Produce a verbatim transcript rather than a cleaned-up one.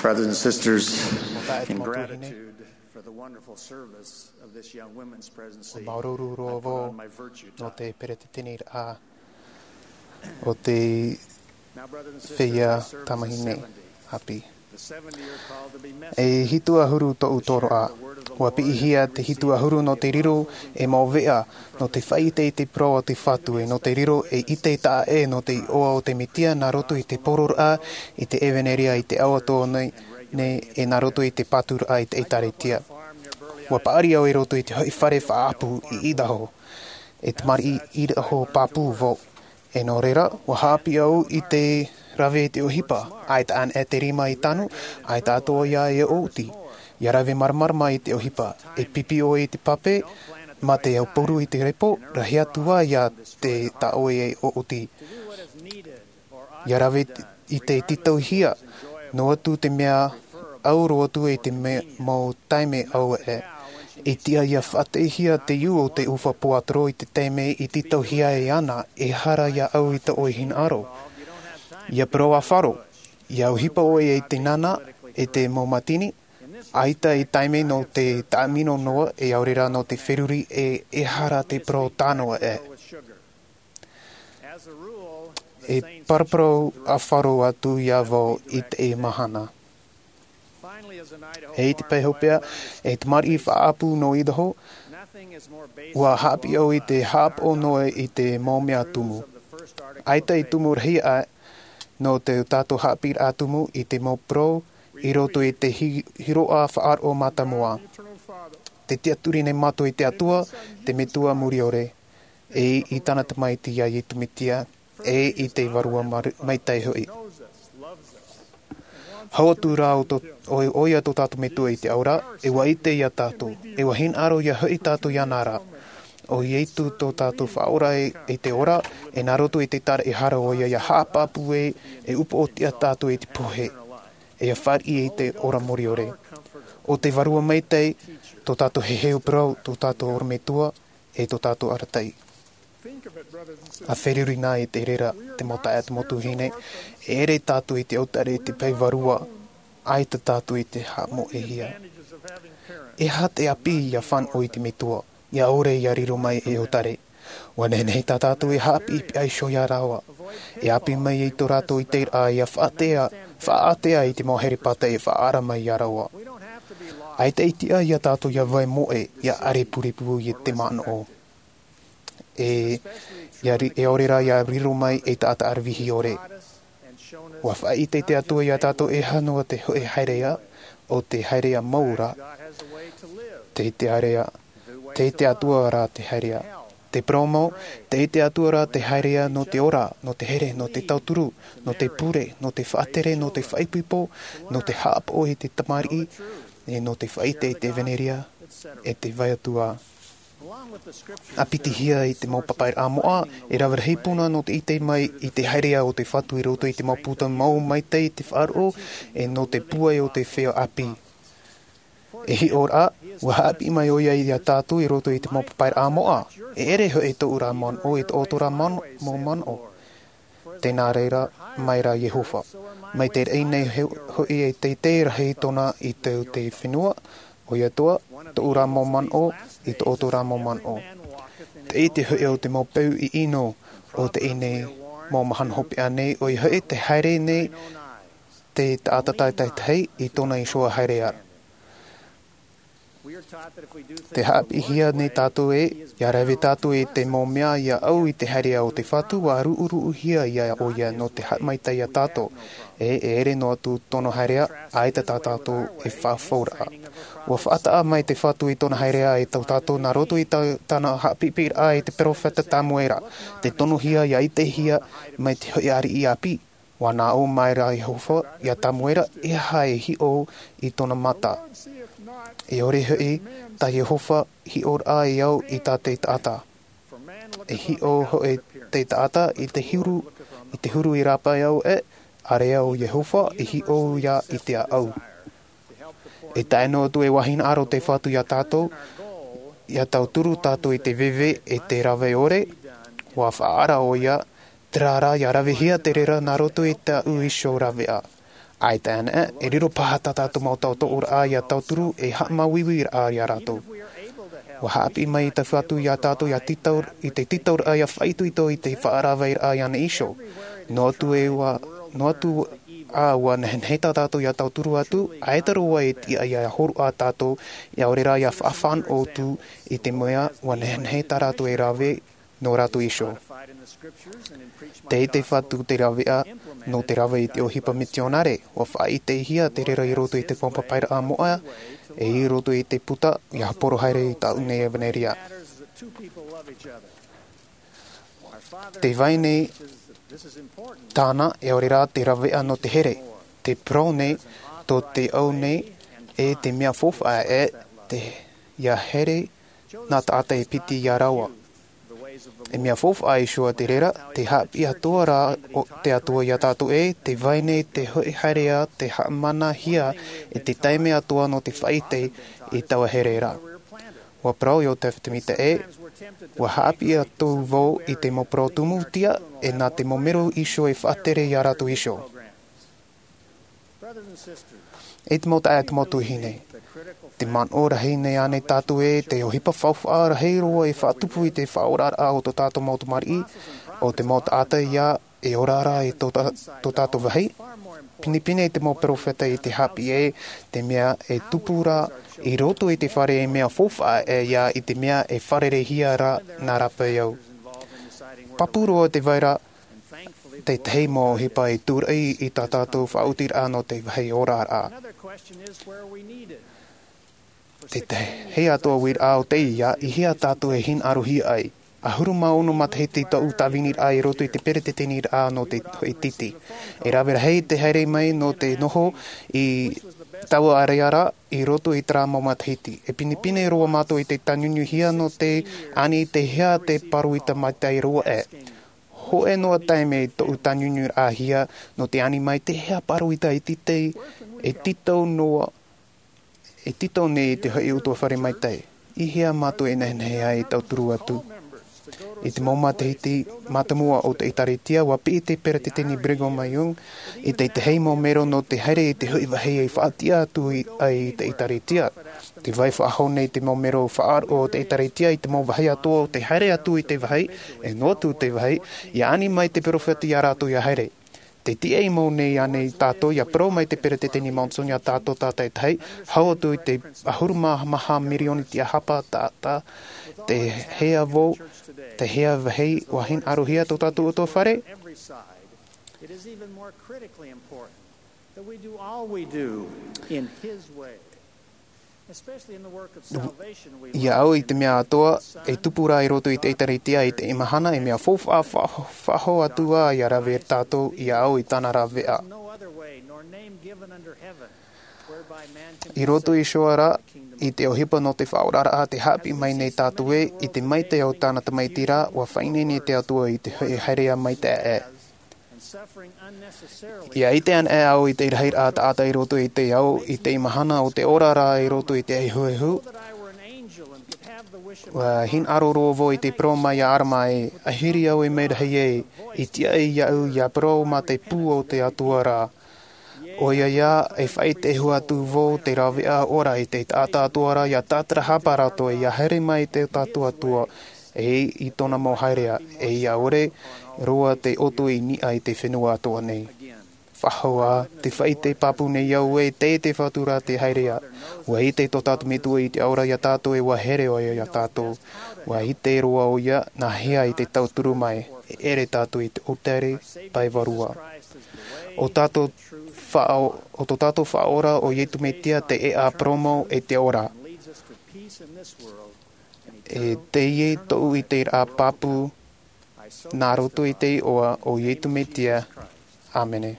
Brothers and sisters, in gratitude for the wonderful service of this young women's presidency, ʻua māuruuru roa vau nō te peretiteniraʻa o te feiā tamahine ʻāpī. E hitu ʻahuru tōʻu toroʻa. ʻUa piʻihia te hitu ʻahuru nō te riro e mau veʻa, nō te faʻaʻite i te parau a te Fatu, e nō te riro e ʻite taʻa ʻē nō te iʻoa o te Mesia nā roto i te poroʻraʻa, i te ʻevanelia, i te ao atoʻa nei, e nā roto i te paturaʻa i te ʻĒtārētia. ʻUa paʻari au i roto i te hoʻi fare faʻaʻapu i Idaho. E tamariʻi Idaho pāpū vau. E nō reira, ʻua haʻapiʻi au i te rave i te ʻohipa, ʻaita anaʻe te rima i tanu, ʻaita atoʻa ia e ʻōti. ʻIa rave māramarama i te ʻohipa, e pipi ʻoe i te pape, mā te aupuru i te repo, rahi atu ā ia te tā ʻoe e ʻōti. ʻIa rave i te tītauhia, noa atu te mea ʻau roa atu i te me-, mau taime ʻau ē. I tiʻa ʻia faʻateʻihia te iu o te ʻufa puatoro i te taime i tītauhia e ana, e hara ia ʻau i tō ʻoe hinaʻaro. ʻIa parau ā faro, ʻia ʻohipa ʻoe i te nana, e te mau mātini, ʻaita i taime nō te taʻamino noa, e ʻaore rā nō te feruri e, e hara te parau tā noa ē. E paraparau ā faro atu ia vau i teie mahana. E i te pae hopeʻa, e tamariʻi faʻaʻapu nō Idaho, ʻua haʻapiʻi au i te haʻapaʻo noa i te mau mea tumu. ʻAita i tumu rahi aʻe nō te tātou haʻapiʻiraʻa tumu i te mau parau i roto i te hi-, hiroʻa faʻaroʻo mātāmua. Te tiʻaturi nei mātou i te Atua, te Metua muri ʻore, e i tāna Tamaiti ia Iesu Mesia, e i te Vārua Mar-, Maitaʻi hoʻi. Hau atu rā ʻo tō, ʻo, ʻoia tō tātou Metua i te ao ra, e ʻua ʻite ia tātou, e ʻua hinaʻaro ia hoʻi tātou iāna ra. ʻO Iesu tō tātou Faʻaora i, i te ora, e nā roto i te taraʻehara ʻoia ʻia haʻapāpū e, e upoʻotiʻa tātou i te pohe, e ʻia fāriʻi i te ora muri ʻore. ʻO te Vārua Maitaʻi, tō tātou heheu parau, tō tātou orometua, e tō tātou arataʻi. ʻA feruri na i te reira, te mau taeaʻe, te mau tuahine, e ʻere tātou i te ʻautare i te pae vārua, ʻaita tātou i te haʻamoʻehia. E aha te ʻāpī ʻia fānaʻo i te Metua, ʻia ʻore ʻia riro mai ei ʻautare? ʻUa nehenehe tā tātou e haʻapiʻipiʻi iho ia rāua. E ʻāpī mai i tō rātou ʻiteraʻa ʻia faʻaʻātea, faʻaʻātea i te mau here pātai e faʻaara mai ia rāua. ʻAita i tiʻa ia tātou ʻia vai moʻe, ʻia ʻare purepū i te manaʻo. E, ʻia ri-, e ʻaore rā ʻia riro mai ei taʻata ʻaravihi ʻore. ʻUa faʻaʻite te Atua ia tātou e aha noa te hōʻē haereʻa, ʻo te haereʻa mau ra, tei te haereʻa, tei te Atua rā te haereʻa. Te parau mau, tei te Atua rā te haereʻa nō te ora, nō te here, nō te tauturu, nō te pure, nō te faʻatere, nō te faʻaipoipo, nō te haʻapaʻo i te tamariʻi, e nō te faʻaʻite i te ʻevanelia, e te vai atu ā. ʻA pitihia i te mau papaʻiraʻa moʻa, e rave rahi puna nō te ʻite mai i te haereʻa o te Fatu i roto i te mau puta mau maitaʻi i te faʻaroʻo, e nō te pūai o te feiā ʻāpī. E hiʻoraʻa, ʻua haʻapiʻi mai ʻoia ia tātou i roto i te mau papaʻiraʻa moʻa. E ʻere hoʻi tōʻu ra manaʻo i tō ʻoutou ra man-, mau manaʻo. Tē nā reira mai ra Iehova. Mai te raʻi nei he-, hoʻi e teitei rahi tōna i te, te fenua, ʻoia atoʻa, tōʻu ra mau manaʻo, i tō ʻoutou ra mau manaʻo. Te ʻite hoʻi o te mau peu ʻino o teie nei mau mahana hopeʻa nei, ʻoia hoʻi te haere nei te taʻata tātaʻitahi i tōna iho haereʻa. Tē haʻapiʻihia nei tātou ē, ʻia rave tātou i te mau mea ʻia ʻau i te haereʻa o te Fatu, ʻua ruʻuruʻuhia ia ʻoia nō te haʻamaitaʻi ia tātou. E, e ʻere noa atu tōna haereʻa, ʻaita tā tātou e faʻafauraʻa. ʻUa faʻataʻa mai te Fatu i tōna haereʻa e tō tātou nā roto i tā-, tāna haʻapiʻipiʻiraʻa i te peropheta Tamuera. Tē tonohia ʻia ʻitehia mai te hōʻē ariʻi ʻāpī. ʻUa nā ʻō mai ra Iehova ia Tamuera, e aha e hiʻo i tōna mata? E ʻore hoʻi tā Iehova hiʻoraʻa e au i tā te taʻata. E hiʻo hoʻi te taʻata i te huru, i te huru i rāpae au ē, ʻāreʻa ʻo Iehova e hiʻo ia i te ʻāʻau. E tae noa atu e ʻua hinaʻaro te Fatu ia tātou, ʻia tauturu tātou i te veve e te rave ʻore, ʻua faʻaara ʻoia, terā rā ʻia ravehia te reira nā roto i tāʻu iho raveʻa. ʻAita anaʻe, e riro paha tā tātou mau tautooraʻa ia tauturu e haʻamāuiuiraʻa ia rātou. Ua haʻapiʻi mai i te Fatu ia tātou ia tītau, i te tītauraʻa ia faʻaitoito i te faʻaravaʻiraʻa i ʻōna iho. Noa atu e ua, noa atu ā ua nehenehe tā tātou ia tauturu atu, ʻaita roa e tiʻa ia hōroʻa tātou, ʻaore rā ia faʻafānaʻo atu, i te mea ua nehenehe tā rātou e rave nō rātou iho. Tei te Fatu te raveʻa nō te rave i te ʻohipa mitionare, ua faʻaʻitehia te reira i roto i te mau papairaʻa moʻa, e i roto i te puta, ia haporo haere i tāʻu nei ʻevanelia. Te vai nei tāna, ʻaore rā te raveʻa nō te here. Te parau nei, tō te au nei, e te mea faufaʻa e te, ia here nā taʻata e piti ia rāua. E mea faufaʻa iho ā te reira, te haʻapiʻi atoʻa rā o te Atua ia tātou ē, te vai nei te hoʻi haereʻa, te haʻamanahia e te taime atoʻa nō te faʻaʻite i taua here ra. Ua parau Iosepha Semita ē, ua haʻapiʻi atu vau i te mau parau tumutia, e nā te mau mero iho e faʻatere ia rātou iho. E te mau taeaʻe, te mau tuahine, te manaʻo rahi nei ānei tātou ē, te ʻohipa faufaʻa rahi roa e faʻatupu i te faʻaoraraʻa o tō tātou mau tamariʻi, o te mau taʻata ia e ora ra i tō tā-, tō tātou vāhi? Pinepine te mau peropheta i te haʻapiʻi ē, te mea e tupu ra i roto i te fare e mea faufaʻa ʻē ia i te mea e fārereihia ra nā rāpae au. Pāpū roa te vai ra, tētahi mau ʻohipa e tūraʻi i tā tātou faʻaotiraʻa nō te vāhi oraraʻa. Tētahi atoʻa uiraʻa o teie, i hea tātou e hinaʻarohia ai. ʻAhuru mā ono matahiti tōʻu tāviniraʻa i roto i te peretiteniraʻa nō te hoʻi tītī. E rave rahi te haere mai nō te noho i taua ʻāreʻa ra i roto i terā mau matahiti. E pinepine roa mātou i te tāniuniuhia nō te ani te hea te pāroita maitaʻi roa ē. Hōʻē noa taime i tōʻu tāniuniuraʻahia nō te ani mai te hea pāroita e tītau, e tītau noa, e tītau nei i te hoʻi ʻutuāfare maitaʻi. I hea mātou e nehenehe ai e tauturu atu? I te mau matahiti mātāmua o te ʻĒtārētia, ua piʻi te peretiteni Brigham Young i te tahi mau mero nō te haere i te hoʻi vāhi e faʻatiʻa atu i, ai i te ʻĒtārētia. Tē vai faʻahou nei te mau mero faʻaroʻo o te ʻĒtārētia i te mau vāhi atoʻa o te haere atu i te vāhi, e noa atu te vāhi, ia ani mai te peropheta ia rātou ia haere. Tē tiʻa mau nei ānei tātou ia parau mai te peretiteni Monson ia tātou tātaʻitahi, hau atu i te ʻahuru mā maha mirioni tiahapa taʻata, te hea vau, te hea vāhi ua hinaʻarohia tō tātou ʻutuāfare? It is even more critically important that we do all we do in His way, especially in the work of salvation we Ia au i te mea atoʻa, e tupu ra i roto i te ʻĒtārētia i teie mahana, e mea faufaʻa, fa-, faʻahou atu ā ia rave tātou, ia au i tāna raveʻa. No other way nor name given under heaven whereby man can be I roto iho ā ra, i te ʻohipa nō te faʻaoraraʻa te haʻapiʻi mai nei tātou ē, i te maitaʻi o tāna Tamaiti ra, ua faʻaineine te Atua i te hoʻi haereʻa maitaʻi ē. Ia ʻite anaʻe au i te rahiraʻa taʻata i roto i te ao, i te mahana o te ora ra i roto i te ehuehu. Ua hinaʻaro roa vau i te parau mai iā ʻArama ē, ʻahiri au e mea rahi ē, i tiʻa iāʻu ia parau mā te pū o te Atua ra. ʻOia ā, e faʻaʻite hua atu vau te raveʻa ora i te taʻata atoʻa ra ia tātarahapa rātou ia haere mai i tō tātou Atua, e i tōna mau haereʻa, e ia ʻore roa te ʻoto i niʻa i te fenua atoʻa nei. Faʻahou ā, tē faʻaʻite pāpū nei au ē, tē te Fatu ra te haereʻa. Ua ʻite tō tātou Metua i te ao ra iā tātou ē ua here ʻoia iā tātou. Ua ʻite roa ʻoia, nā hea e tauturu mai, e ʻere tātou i te ʻōtare pae vārua. ʻO tātou faʻa-, ʻo tō tātou Faʻaora ʻo Iesu Mesia te ʻēʻa, parau mau e te ora. E teie tōʻu ʻiteraʻa pāpū, nā roto i te iʻoa o Iesu Mesia. ʻĀmene.